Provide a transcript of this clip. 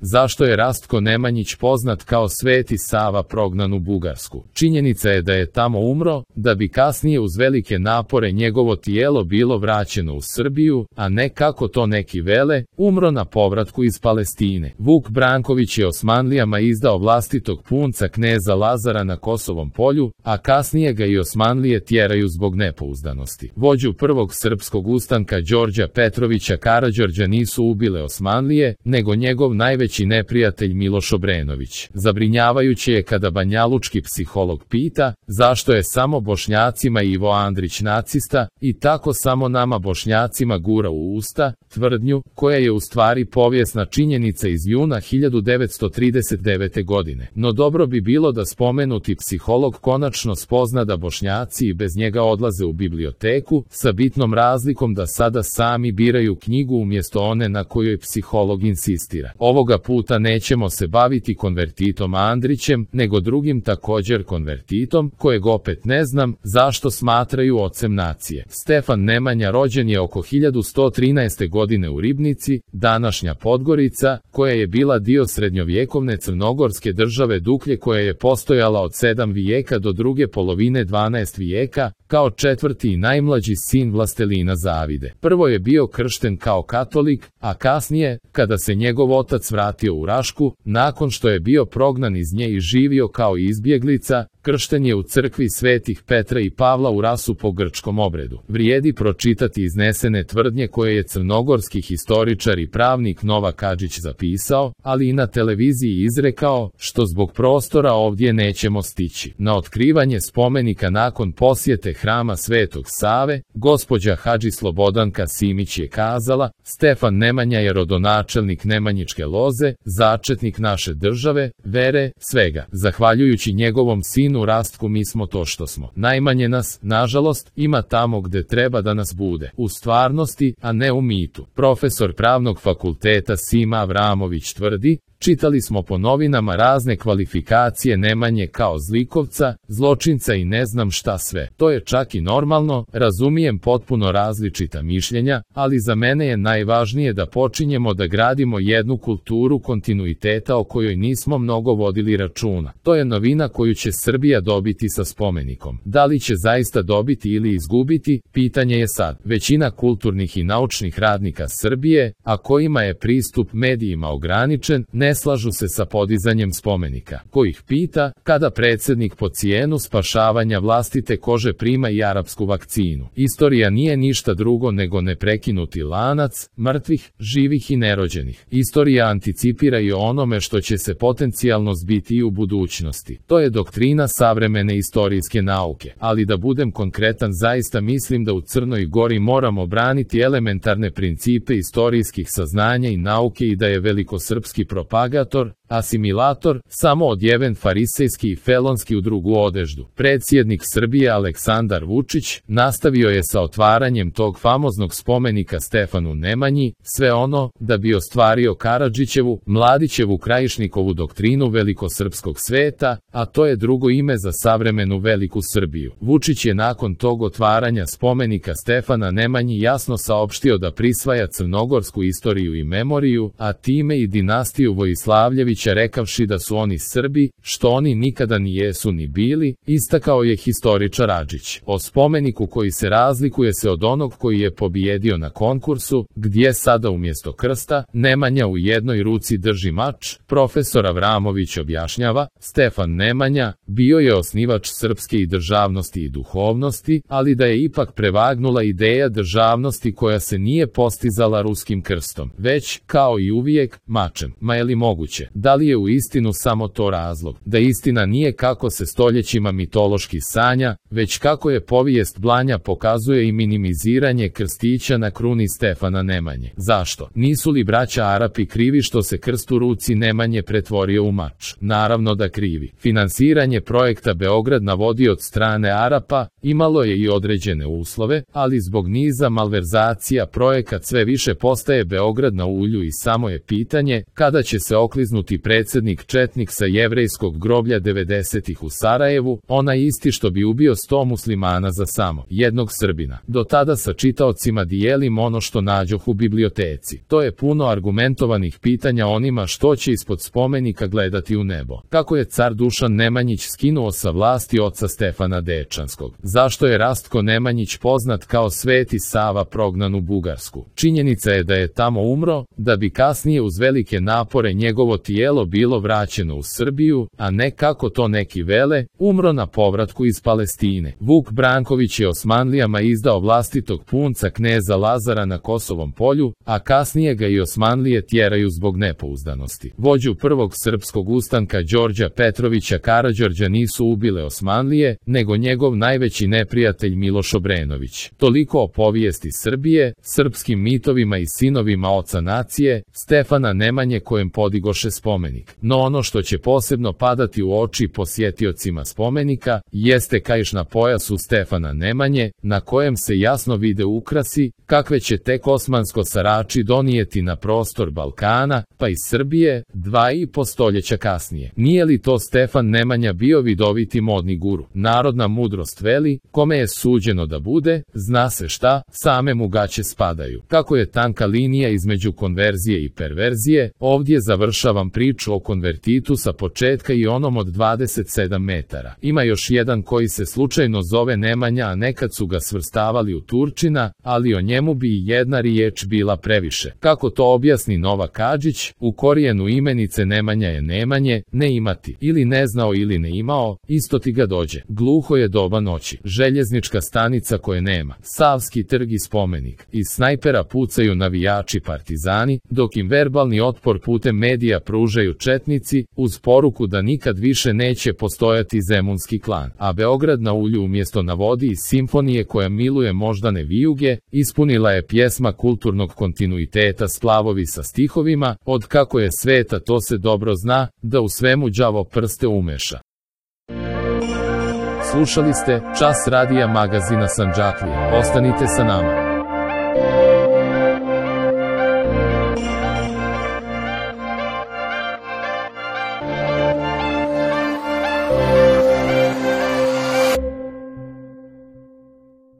Zašto je Rastko Nemanjić poznat kao Sveti Sava prognan u Bugarsku? Činjenica je da je tamo umro, da bi kasnije uz velike napore njegovo tijelo bilo vraćeno u Srbiju, a ne kako to neki vele, umro na povratku iz Palestine. Vuk Branković je Osmanlijama izdao vlastitog punca kneza Lazara na Kosovom polju, a kasnije ga i Osmanlije tjeraju zbog nepouzdanosti. Vođu prvog srpskog ustanka Đorđa Petrovića Karađorđa nisu ubile Osmanlije, nego njegov najveći neprijatelj Miloš Obrenović. Zabrinjavajuće je kada banjalučki psiholog pita zašto je samo Bošnjacima Ivo Andrić nacista i tako samo nama Bošnjacima gura u usta tvrdnju koja je u stvari povijesna činjenica iz juna 1939. godine. No dobro bi bilo da spomenuti psiholog konačno spozna da Bošnjaci i bez njega odlaze u biblioteku, sa bitnom razlikom da sada sami biraju knjigu umjesto one na kojoj psiholog insistira. Ovoga puta nećemo se baviti konvertitom Andrićem, nego drugim također konvertitom, kojeg opet ne znam zašto smatraju ocem nacije. Stefan Nemanja rođen je oko 1113. godine u Ribnici, današnja Podgorica, koja je bila dio srednjovjekovne crnogorske države Duklje koja je postojala od 7. vijeka do druge polovine 12. vijeka, kao četvrti i najmlađi sin vlastelina Zavide. Prvo je bio kršten kao katolik, a kasnije, kada se njegov otac vratio u Rašku, nakon što je bio prognan iz nje i živio kao izbjeglica, kršten je u crkvi svetih Petra i Pavla u Rasu po grčkom obredu. Vrijedi pročitati iznesene tvrdnje koje je crnogorski historičar i pravnik Novak Hadžić zapisao, ali i na televiziji izrekao, što zbog prostora ovdje nećemo stići. Na otkrivanje spomenika nakon posjete hrama Svetog Save, gospođa Hadži Slobodanka Simić je kazala, Stefan Nemanja je rodonačelnik Nemanjičke loze, začetnik naše države, vere, svega. Zahvaljujući njegovom sinu Rastku mi smo to što smo. Najmanje nas, nažalost, ima tamo gde treba da nas bude. U stvarnosti, a ne u mitu. Profesor Pravnog fakulteta Sima Avramović tvrdi, čitali smo po novinama razne kvalifikacije Nemanje kao zlikovca, zločinca i ne znam šta sve. To je čak i normalno, razumijem potpuno različita mišljenja, ali za mene je najvažnije da počinjemo da gradimo jednu kulturu kontinuiteta o kojoj nismo mnogo vodili računa. To je novina koju će Srbija dobiti sa spomenikom. Da li će zaista dobiti ili izgubiti, pitanje je sad. Većina kulturnih i naučnih radnika Srbije, a kojima je pristup medijima ograničen, ne slažu se sa podizanjem spomenika. Ko ih pita, kada predsjednik po cijenu spašavanja vlastite kože prima i arapsku vakcinu. Istorija nije ništa drugo nego neprekinuti lanac, mrtvih, živih i nerođenih. Istorija anticipira i o onome što će se potencijalno zbiti i u budućnosti. To je doktrina savremene istorijske nauke. Ali da budem konkretan, zaista mislim da u Crnoj Gori moramo braniti elementarne principe istorijskih saznanja i nauke i da je velikosrpski propagator, asimilator, samo odjeven farisejski i felonski u drugu odeždu. Predsjednik Srbije Aleksandar Vučić nastavio je sa otvaranjem tog famoznog spomenika Stefanu Nemanji, sve ono da bi ostvario Karadžićevu, Mladićevu Krajišnikovu doktrinu velikosrpskog sveta, a to je drugo ime za savremenu veliku Srbiju. Vučić je nakon tog otvaranja spomenika Stefana Nemanji jasno saopštio da prisvaja crnogorsku istoriju i memoriju, a time i dinastiju Vojislavljevića rekavši da su oni Srbi, što oni nikada ni jesu ni bili, istakao je historičar Hadžić. O spomeniku koji se razlikuje se od onog koji je pobjedio na konkursu, gdje sada umjesto krsta, Nemanja u jednoj ruci drži mač, profesor Avramović objašnjava, Stefan Nemanja bio je osnivač srpske i državnosti i duhovnosti, ali da je ipak prevagnula ideja državnosti koja se nije postizala ruskim krstom, već, kao i uvijek, mačem. Ma je li moguće? Da li je u istinu samo to razlog? Da istina nije kako se stoljećima mitološki sanja, već kako je povijest Blanja pokazuje i minimiziranje krstića na kruni Stefana Nemanje. Zašto? Nisu li braća Arapi krivi što se krst u ruci Nemanje pretvorio u mač? Naravno da krivi. Finansiranje projekta Beograd na vodi od strane Arapa imalo je i određene uslove, ali zbog niza malverzacija projekat sve više postaje Beograd na ulju i samo je pitanje kada će se okliznuti srpski predsjednik četnik sa jevrejskog groblja 90-ih u Sarajevu, onaj isti što bi ubio 100 muslimana za samo jednog Srbina. Do tada sa čitaocima dijelim ono što nađoh u biblioteci. To je puno argumentovanih pitanja onima što će ispod spomenika gledati u nebo. Kako je car Dušan Nemanjić skinuo sa vlasti oca Stefana Dečanskog? Zašto je Rastko Nemanjić poznat kao Sveti Sava prognan u Bugarsku? Činjenica je da je tamo umro, da bi kasnije uz velike napore njegovo tijelo bilo vraćeno u Srbiju, a ne kako to neki vele, umro na povratku iz Palestine. Vuk Branković je Osmanlijama izdao vlastitog punca kneza Lazara na Kosovom polju, a kasnije ga i Osmanlije tjeraju zbog nepouzdanosti. Vođu prvog srpskog ustanka Đorđa Petrovića Karađorđa nisu ubile Osmanlije, nego njegov najveći neprijatelj Miloš Obrenović. Toliko o povijesti Srbije, srpskim mitovima i sinovima oca nacije, Stefana Nemanje kojem podigoše spomenik. No ono što će posebno padati u oči posjetiocima spomenika, jeste kaiš na pojasu Stefana Nemanje, na kojem se jasno vide ukrasi, kakve će tek osmansko sarači donijeti na prostor Balkana, pa i Srbije, 2,5 stoljeća kasnije. Nije li to Stefan Nemanja bio vidoviti modni guru? Narodna mudrost veli, kome je suđeno da bude, zna se šta, same mu gaće spadaju. Kako je tanka linija između konverzije i perverzije, ovdje završavam priču o konvertitu sa početka i onom od 27 metara. Ima još jedan koji se slučajno zove Nemanja, a nekad su ga svrstavali u Turčina, ali o njemu bi i jedna riječ bila previše. Kako to objasni Novak Kadžić, u korijenu imenice Nemanja je nemanje, ne imati, ili ne znao ili ne imao, isto ti ga dođe. Gluho je doba noći, željeznička stanica koje nema, Savski trg i spomenik. Iz snajpera pucaju navijači partizani, dok im verbalni otpor putem medija pružaju četnici, uz poruku da nikad više neće postojati zemunski klan. A Beograd na ulju umjesto na vodi iz simfonije koja miluje moždane vijuge, ispunila je pjesma kulturnog kontinuiteta splavovi sa stihovima, od kako je sveta to se dobro zna, da u svemu đavo prste umeša. Slušali ste Čas radija magazina Sandžaklija. Ostanite sa nama.